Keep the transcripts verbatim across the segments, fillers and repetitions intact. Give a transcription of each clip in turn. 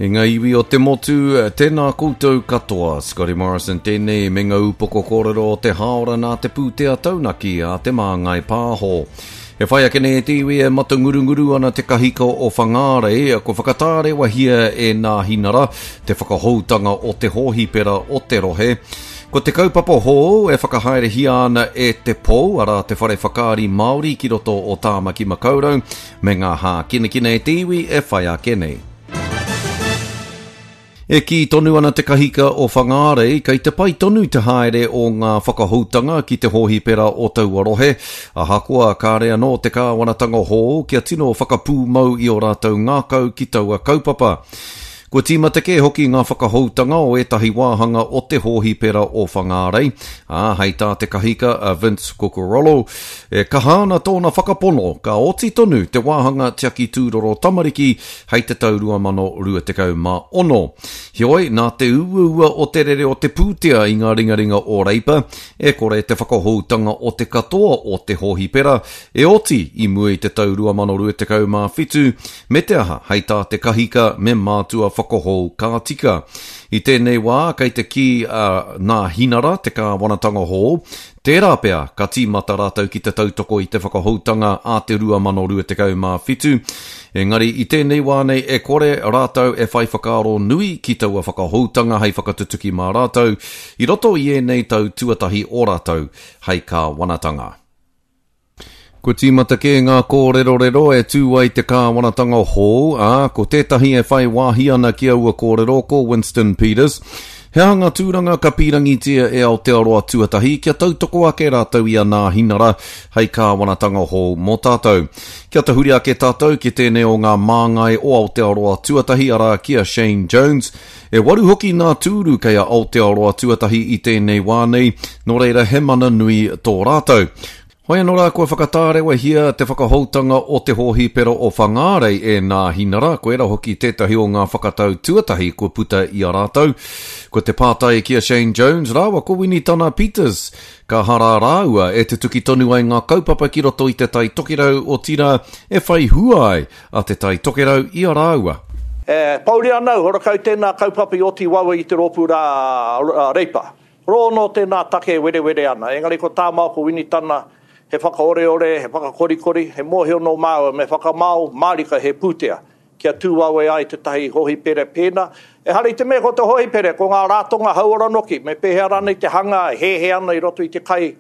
E ngā iwi o te motu, tēnā koutou katoa. Scotty Morrison tēnei me ngā upoko kōrero o te hāora nā te pūtea taunaki a Te Māngai Pāho. E whai ake nei e te iwi e matangurunguru ana te kahika o Whangārei, ko whakatārewahia e Nāhinara te whakahoutanga o te hōhipera o te rohe. Ko te kaupapa hou e whakahaerehia ana e Te Pou, arā te whare whakaari Māori ki roto o Tāmaki Makaurau, me ngā hākinakina e te iwi e whai ake nei. E kī tonu ana te kahika o Whangārei, kei te pai tonu te haere o ngā whakahoutanga ki te hōhipera o taua rohe, ahakoa kāre anō te kāwanatanga hou kia tino whakapūmau i ō rātou ngākau ki taua kaupapa. Kua tīmata kē hoki ngā whakahoutanga o ētahi wāhanga o te hōhipera o Whangārei, ā, hei tā te kahika a Vince Cucurullo, e kaha ana tōna whakapono ka oti tonu te wāhanga tiaki tūroro tamariki hei te tau rua mano rua tekau mā ono. Heoi, nā te uaua o te rere o te pūtea i ngā ringaringa o Reipa, e kore te whakahoutanga o te katoa o te hōhipera e oti i mua i te tau rua mano rua tekau mā whitu, me te aha, hei tā te kahika me mātua whakahou ka tika. I tēnei wā, kei te kī a Nāhinara, te kāwanatanga hou, tērā pea ka tīmata rātou ki te tautoko i te whakahoutanga a te rua mano rua tekau mā whitu. Engari i tēnei wā nei e kore rātou e whai whakaaro nui ki taua whakahoutanga hei whakatutuki mā rātou i roto i ēnei tau tuatahi o rātou hei kāwanatanga. Kua tīmata kē ngā kōrerorero e tū ai te kāwanatanga hou, ā, ko tētahi e whai wāhi ana ki aua kōrero ko Winston Peters. He aha ngā tūranga ka pīrangitia e Aotearoa tuatahi kia tautoko ake rātou i a Nāhinara hei kāwanatanga hou mō tātou. Kia tahuri ake tātou ki tēnei o ngā māngai o Aotearoa tuatahi, arā ki a Shane Jones. E waru hoki ngā tūru kei a Aotearoa tuatahi i tēnei wā nei, nō reira he mana nui tō rātou. Hoi anō rā kua whakatārewahia te whakahoutanga o te hōhipera o Whangārei e Nāhinara, koirā hoki tētahi o ngā whakatau tuatahi kua puta i a rātou. Ko te pātai ki a Shane Jones rāua ko Winitana Peters, ka hara rāua e tutuki tonu ai ngā kaupapa ki roto i Te Tai Tokerau, otirā e whai hua ai a Te Tai Tokerau i a rāua. E pouri ana au, horakau tēnā kaupapa i oti wawe i te rōpū rā Reipa. Rō nō tēnā take e werewere ana, engari ko tā māua ko Winitana, he whakaoreore, he whakakorikori, he mōhio nō māua me whakamao mārika he pūtea kia tū wawe ai tētahi hōhipere pēnā. Ehara i te mea ko te hōhipere, ko ngā rātonga hauora noki, me pēhea rānei te hanga e hēhē ana i roto i te kai,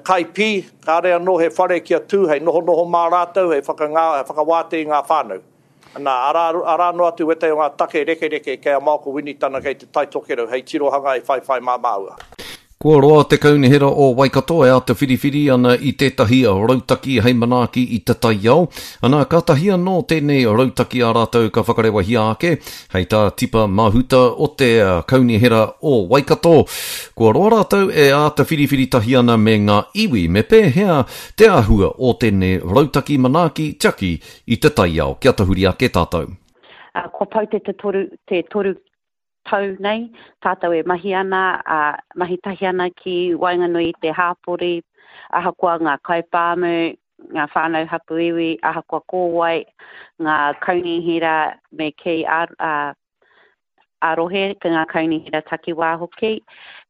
kai pī, kāre anō he whare kia tū hei nohonoho mā rātou, hei whakangā, hei whakawātea i ngā whānau. Nā, arā, arā noa atu wētahi o ngā take rekereke kei a Maoko Winitana kei Te Tai Tokerau hei tirohanga e whaiwhai mā māua. Kua roa te Kaunihera o Waikato e āta whiriwhiri ana i tētahi rautaki hei manaaki i te taiao, ana kātahi anō tēnei rautaki a rātou ka whakarewahia ake, hei tā Tipa Mahuta o te Kaunihera o Waikato. Kua roa rātou e āta whiriwhiri tahi ana me ngā iwi me pēhea te āhua o tēnei rautaki manaaki tiaki i te taiao. Kia tahuri ake tātou. Kua pau te toru, te toru tau nei, tātou e mahi ana, ā, mahi tahi ana ki waenganui i te hāpori, ahakoa ngā kaipāmu, ngā whānau hapū iwi, ahakoa ko wai, ngā kaunihera me kī ā, ā, ā-rohe, ngā kaunihera takiwā hoki,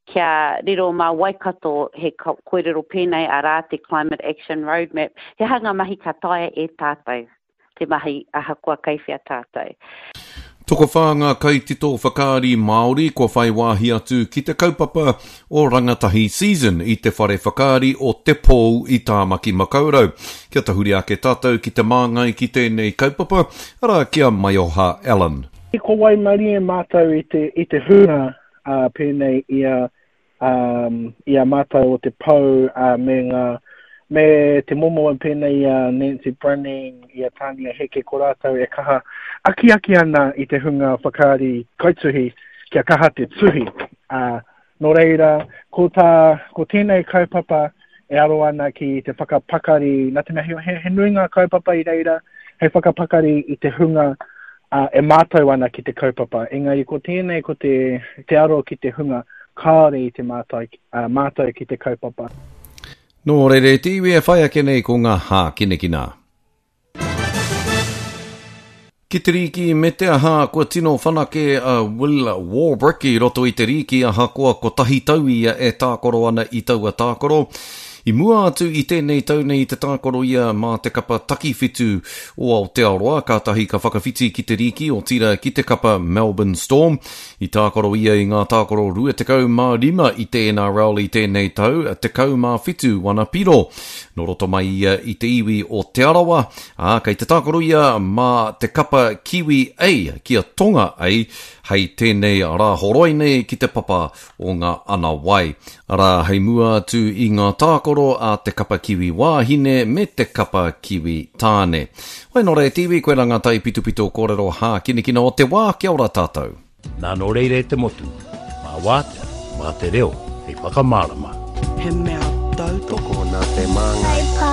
kia riro mā Waikato he kōrero pēnei arā te Climate Action Roadmap, he aha ngā mahi ka taea e tātou te mahi ahakoa kei whea tātou. Tokowhā ngā kaitito whakaari Māori kua whai wāhi atu ki te kaupapa o Rangatahi Season i te whare whakaari o Te Pou i Tāmaki Makaurau. Kia tahuri ake tātou ki te māngai ki tēnei kaupapa, arā ki a Maioha Allen. I ko waimarie mātou i te, i te hunga uh, pēnei i a um, i a mātou o te pou uh, me ngā me te momo e pēnei i a Nancy Brunning, i a Tania Heke, ko rātou e kaha akiaki ana i te hunga whakaari kaituhi kia kaha te tuhi. Uh, nō reira, ko, tā, ko tēnei kaupapa e aro ana ki te whakapakari, nā te mea he, he, he nui ngā kaupapa i reira, hei whakapakari i te hunga uh, e mātau ana ki te kaupapa. Engari ko tēnei ko te, te aro ki te hunga kāore i te mātau, uh, mātau ki te kaupapa. Nō reira e te iwi e whai ake nei ko ngā hākinakina. Ki te rīki me te aha, kua tino whanake a Will Warbrick i roto i te rīki ahakoa kotahi tau ia e tākaro ana i taua tākaro. I mua atu i tēnei tau nei i te tākaro ia mā te kapa takiwhitu o Aotearoa, kātahi ka whakawhiti ki te rīki, otirā ki te kapa Melbourne Storm. I tākaro ia i ngā tākaro rua tekau mā rima i te N R L i tēnei tau, tekau mā whitu wana piro. Nō roto mai ia i te iwi o Te Arawa, ā, kei te tākaro ia mā te kapa Kiwi A kia Tonga A hei tēnei Rāhoroi nei ki te papa o ngā ana wai. Arā, hei mua atu i ngā tākaro a te kapa Kiwi wāhine me te kapa Kiwi tāne. Wai nō reira te iwi, koirā ngā taipitopito kōrero hākinakina o te wā, kia ora tātou. Nā nō reira e te motu, mā wātea, mā te reo, hei whakamārama. He mea tautoko nā te māngai.